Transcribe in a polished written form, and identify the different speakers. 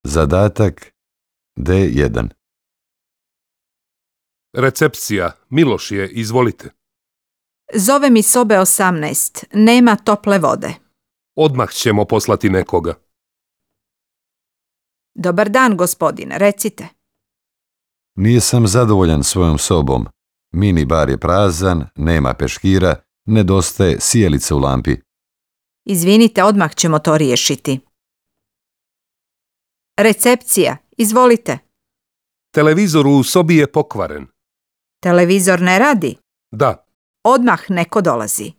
Speaker 1: Zadatak D1.
Speaker 2: Recepcija, Miloš je, izvolite.
Speaker 3: Zove mi sobe 18. Nema tople vode.
Speaker 2: Odmah ćemo poslati nekoga.
Speaker 3: Dobar dan, gospodine, recite.
Speaker 1: Nisam zadovoljan svojom sobom. Mini bar je prazan, nema peškira, nedostaje sijalice u lampi.
Speaker 3: Izvinite, odmah ćemo to riješiti. Recepcija, izvolite.
Speaker 2: Televizor u sobi je pokvaren.
Speaker 3: Televizor ne radi.
Speaker 2: Da.
Speaker 3: Odmah neko dolazi.